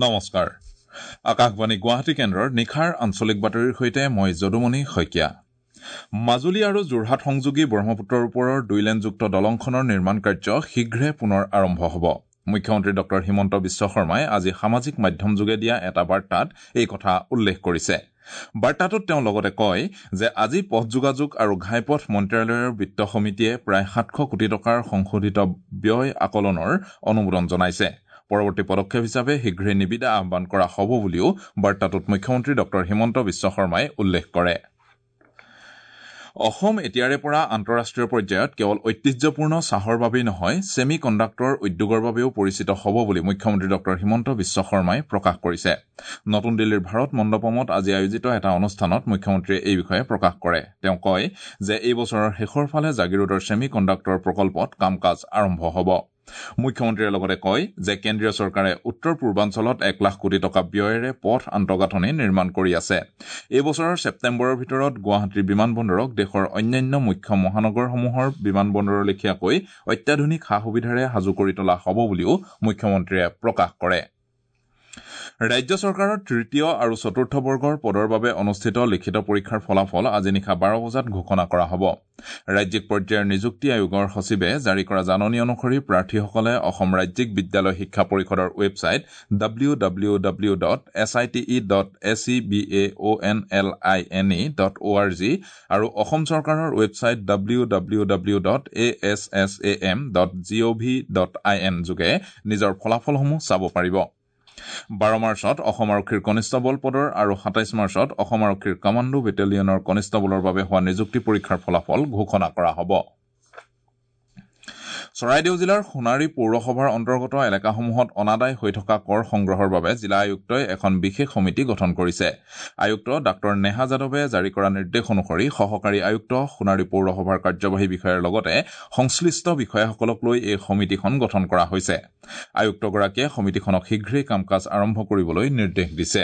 নমস্কাৰ। আকাশবাণী গুৱাহাটী কেন্দ্ৰৰ নিশাৰ আঞ্চলিক বাতৰিৰ সৈতে মই যদুমণি শইকীয়া। মাজুলী আৰু যোৰহাট সংযোগী ব্ৰহ্মপুত্ৰৰ ওপৰৰ দুই লেনযুক্ত দলংখনৰ নিৰ্মাণ কাৰ্য শীঘ্ৰে পুনৰ আৰম্ভ হ'ব। মুখ্যমন্ত্ৰী ডঃ হিমন্ত বিশ্ব শৰ্মাই আজি সামাজিক মাধ্যমযোগে দিয়া এটা বাৰ্তাত এই কথা উল্লেখ কৰিছে। বাৰ্তাটোত তেওঁ লগতে কয় যে আজি পথ যোগাযোগ আৰু ঘাইপথ মন্ত্ৰালয়ৰ বিত্ত সমিতিয়ে প্ৰায় 700 কোটি টকাৰ সংশোধিত ব্যয় আকলনৰ অনুমোদন জনাইছে। পৰৱৰ্তী পদক্ষেপ হিচাপে শীঘ্ৰে নিবিদা আহ্বান কৰা হ'ব বুলিও বাৰ্তাটোত মুখ্যমন্ত্ৰী ডঃ হিমন্ত বিশ্ব শৰ্মাই উল্লেখ কৰে। অসম এতিয়াৰে পৰা আন্তঃৰাষ্ট্ৰীয় পৰ্যায়ত কেৱল ঐতিহ্যপূৰ্ণ চাহৰ বাবেই নহয়, ছেমি কণ্ডাক্টৰ উদ্যোগৰ বাবেও পৰিচিত হ'ব বুলি মুখ্যমন্ত্ৰী ডঃ হিমন্ত বিশ্ব শৰ্মাই প্ৰকাশ কৰিছে। নতুন দিল্লীৰ ভাৰত মণ্ডপমত আজি আয়োজিত এটা অনুষ্ঠানত মুখ্যমন্ত্ৰীয়ে এই বিষয়ে প্ৰকাশ কৰে। তেওঁ কয় যে এই বছৰৰ শেষৰ ফালে জাগিৰোডৰ ছেমি কণ্ডাক্টৰ প্ৰকল্পত কাম কাজ আৰম্ভ হ'ব। মুখ্যমন্ত্ৰীয়ে লগতে কয় যে কেন্দ্ৰীয় চৰকাৰে উত্তৰ পূৰ্বাঞ্চলত 1 লাখ কোটি টকা ব্যয়েৰে পথ আন্তঃগাঁথনি নিৰ্মাণ কৰি আছে। এই বছৰৰ ছেপ্টেম্বৰৰ ভিতৰত গুৱাহাটীৰ বিমানবন্দৰক দেশৰ অন্যান্য মুখ্য মহানগৰসমূহৰ বিমানবন্দৰৰ লেখীয়াকৈ অত্যাধুনিক সা সুবিধাৰে সাজু কৰি তোলা হ'ব বুলিও মুখ্যমন্ত্ৰীয়ে প্ৰকাশ কৰে। ৰাজ্য চৰকাৰৰ তৃতীয় আৰু চতুৰ্থ বৰ্গৰ পদৰ বাবে অনুষ্ঠিত লিখিত পৰীক্ষাৰ ফলাফল আজি নিশা 12 বজাত ঘোষণা কৰা হ'ব। ৰাজ্যিক পৰ্যায়ৰ নিযুক্তি আয়োগৰ সচিবে জাৰি কৰা জাননী অনুসৰি প্ৰাৰ্থীসকলে অসম ৰাজ্যিক বিদ্যালয় শিক্ষা পৰিষদৰ ৱেবছাইট www.site.sebaonline.org আৰু অসম চৰকাৰৰ ৱেবছাইট www.assam.gov.in যোগে নিজৰ ফলাফলসমূহ চাব পাৰিব। 12 মাৰ্চত অসম আৰক্ষীৰ কনিষ্টবল পদৰ আৰু 27 মাৰ্চত অসম আৰক্ষীৰ কমাণ্ডো বেটেলিয়নৰ কনিষ্টবলৰ বাবে হোৱা নিযুক্তি পৰীক্ষাৰ ফলাফল ঘোষণা কৰা হ'ব। চৰাইদেউ জিলাৰ সোণাৰী পৌৰসভাৰ অন্তৰ্গত এলেকাসমূহত অনাদায় হৈ থকা কৰ সংগ্ৰহৰ বাবে জিলা আয়ুক্তই এখন বিশেষ সমিতি গঠন কৰিছে। আয়ুক্ত ডাঃ নেহা যাদৱে জাৰি কৰা নিৰ্দেশ অনুসৰি সহকাৰী আয়ুক্ত, সোণাৰী পৌৰসভাৰ কাৰ্যবাহী বিষয়াৰ লগতে সংশ্লিষ্ট বিষয়াসকলক লৈ এই সমিতিখন গঠন কৰা হৈছে। আয়ুক্তগৰাকীয়ে সমিতিখনক শীঘ্ৰেই কাম কাজ আৰম্ভ কৰিবলৈ নিৰ্দেশ দিছে।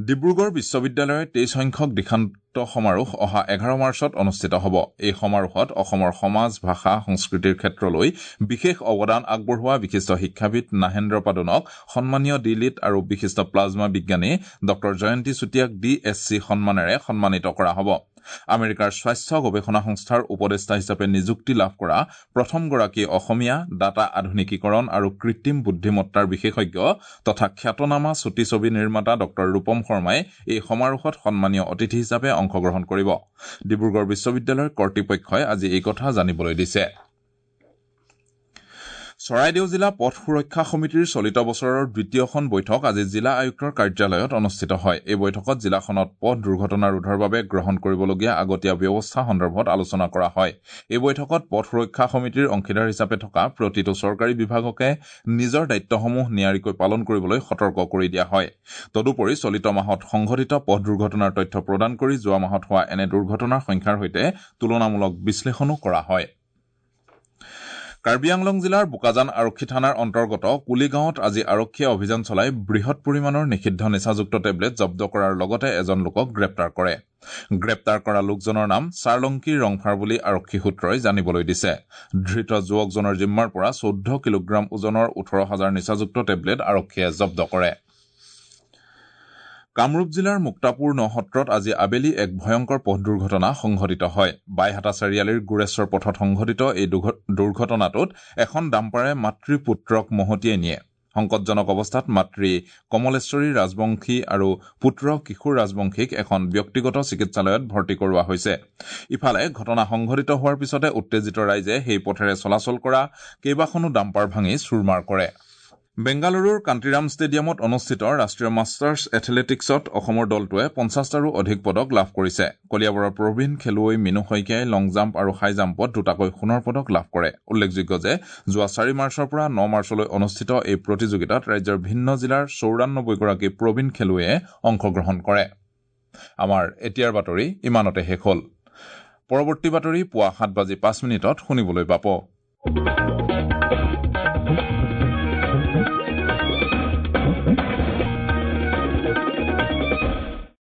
ডিব্ৰুগড় বিশ্ববিদ্যালয়ৰ 23 সংখ্যক দীক্ষান্ত সমাৰোহ অহা 11 মাৰ্চত অনুষ্ঠিত হ'ব। এই সমাৰোহত অসমৰ সমাজ, ভাষা, সংস্কৃতিৰ ক্ষেত্ৰলৈ বিশেষ অৱদান আগবঢ়োৱা বিশিষ্ট শিক্ষাবিদ নাহেন্দ্ৰ পাদুনক সন্মানীয় ডি লিট আৰু বিশিষ্ট প্লাজমা বিজ্ঞানী ডঃ জয়ন্তী চুতীয়াক ডি এছ চি সন্মানেৰে সন্মানিত কৰা হ'ব। আমেৰিকাৰ স্বাস্থ্য গৱেষণা সংস্থাৰ উপদেষ্টা হিচাপে নিযুক্তি লাভ কৰা প্ৰথমগৰাকী অসমীয়া ডাটা আধুনিকীকৰণ আৰু কৃত্ৰিম বুদ্ধিমত্তাৰ বিশেষজ্ঞ তথা খ্যাতনামা চুটি ছবি নিৰ্মাতা ডঃ ৰূপম শৰ্মাই এই সমাৰোহত সন্মানীয় অতিথি হিচাপে অংশগ্ৰহণ কৰিব। ডিব্ৰুগড় বিশ্ববিদ্যালয়ৰ কৰ্তৃপক্ষই আজি এই কথা জানিবলৈ দিছে। চৰাইদেউ জিলা পথ সুৰক্ষা সমিতিৰ চলিত বছৰৰ দ্বিতীয়খন বৈঠক আজি জিলা আয়ুক্তৰ কাৰ্যালয়ত অনুষ্ঠিত হয়। এই বৈঠকত জিলাখনত পথ দুৰ্ঘটনা ৰোধৰ বাবে গ্ৰহণ কৰিবলগীয়া আগতীয়া ব্যৱস্থা সন্দৰ্ভত আলোচনা কৰা হয়। এই বৈঠকত পথ সুৰক্ষা সমিতিৰ অংশীদাৰ হিচাপে থকা প্ৰতিটো চৰকাৰী বিভাগকে নিজৰ দায়িত্বসমূহ নিয়াৰিকৈ পালন কৰিবলৈ সতৰ্ক কৰি দিয়া হয়। তদুপৰি চলিত মাহত সংঘটিত পথ দুৰ্ঘটনাৰ তথ্য প্ৰদান কৰি যোৱা মাহত হোৱা এনে দুৰ্ঘটনাৰ সংখ্যাৰ সৈতে তুলনামূলক বিশ্লেষণো কৰা হয়। কাৰ্বি আংলং জিলাৰ বোকাজান আৰক্ষী থানাৰ অন্তৰ্গত কুলিগাঁৱত আজি আৰক্ষীয়ে অভিযান চলাই বৃহৎ পৰিমাণৰ নিষিদ্ধ নিচাযুক্ত টেবলেট জব্দ কৰাৰ লগতে এজন লোকক গ্ৰেপ্তাৰ কৰে। গ্ৰেপ্তাৰ কৰা লোকজনৰ নাম চাৰলংকী ৰংফাৰ বুলি আৰক্ষী সূত্ৰই জানিবলৈ দিছে। ধৃত যুৱকজনৰ জিম্মাৰ পৰা 14 কিলোগ্ৰাম ওজনৰ 18,000 নিচাযুক্ত টেবলেট আৰক্ষীয়ে জব্দ কৰে। কামৰূপ জিলাৰ মুক্তাপুৰ নসত্ৰত আজি আবেলি এক ভয়ংকৰ পথ দুৰ্ঘটনা সংঘটিত হয়। বাইহাটা চাৰিআলিৰ গোৰেশ্বৰ পথত সংঘটিত এই দুৰ্ঘটনাটোত এখন ডাম্পাৰে মাতৃ পুত্ৰক মহতিয়াই নিয়ে। সংকটজনক অৱস্থাত মাতৃ কমলেশ্বৰী ৰাজবংশী আৰু পুত্ৰ কিশোৰ ৰাজবংশীক এখন ব্যক্তিগত চিকিৎসালয়ত ভৰ্তি কৰোৱা হৈছে। ইফালে ঘটনা সংঘটিত হোৱাৰ পিছতে উত্তেজিত ৰাইজে সেই পথেৰে চলাচল কৰা কেইবাখনো ডাম্পাৰ ভাঙি চুৰমাৰ কৰে। বেংগালুৰুৰ কান্তিৰাম ষ্টেডিয়ামত অনুষ্ঠিত ৰাষ্ট্ৰীয় মাষ্টাৰ্ছ এথলেটিকছত অসমৰ দলটোৱে 50টাৰো অধিক পদক লাভ কৰিছে। কলিয়াবৰৰ প্ৰবীণ খেলুৱৈ মিনু শইকীয়াই লং জাম্প আৰু হাই জাম্পত দুটাকৈ সোণৰ পদক লাভ কৰে। উল্লেখযোগ্য যে যোৱা 4 মাৰ্চৰ পৰা 9 মাৰ্চলৈ অনুষ্ঠিত এই প্ৰতিযোগিতাত ৰাজ্যৰ ভিন্ন জিলাৰ 94 গৰাকী প্ৰবীণ খেলুৱৈয়ে অংশগ্ৰহণ কৰে। আমাৰ এতিয়াৰ বাতৰি ইমানতে শেষ হ'ল। পৰৱৰ্তী বাতৰি পুৱা 7:05 শুনিবলৈ পাব।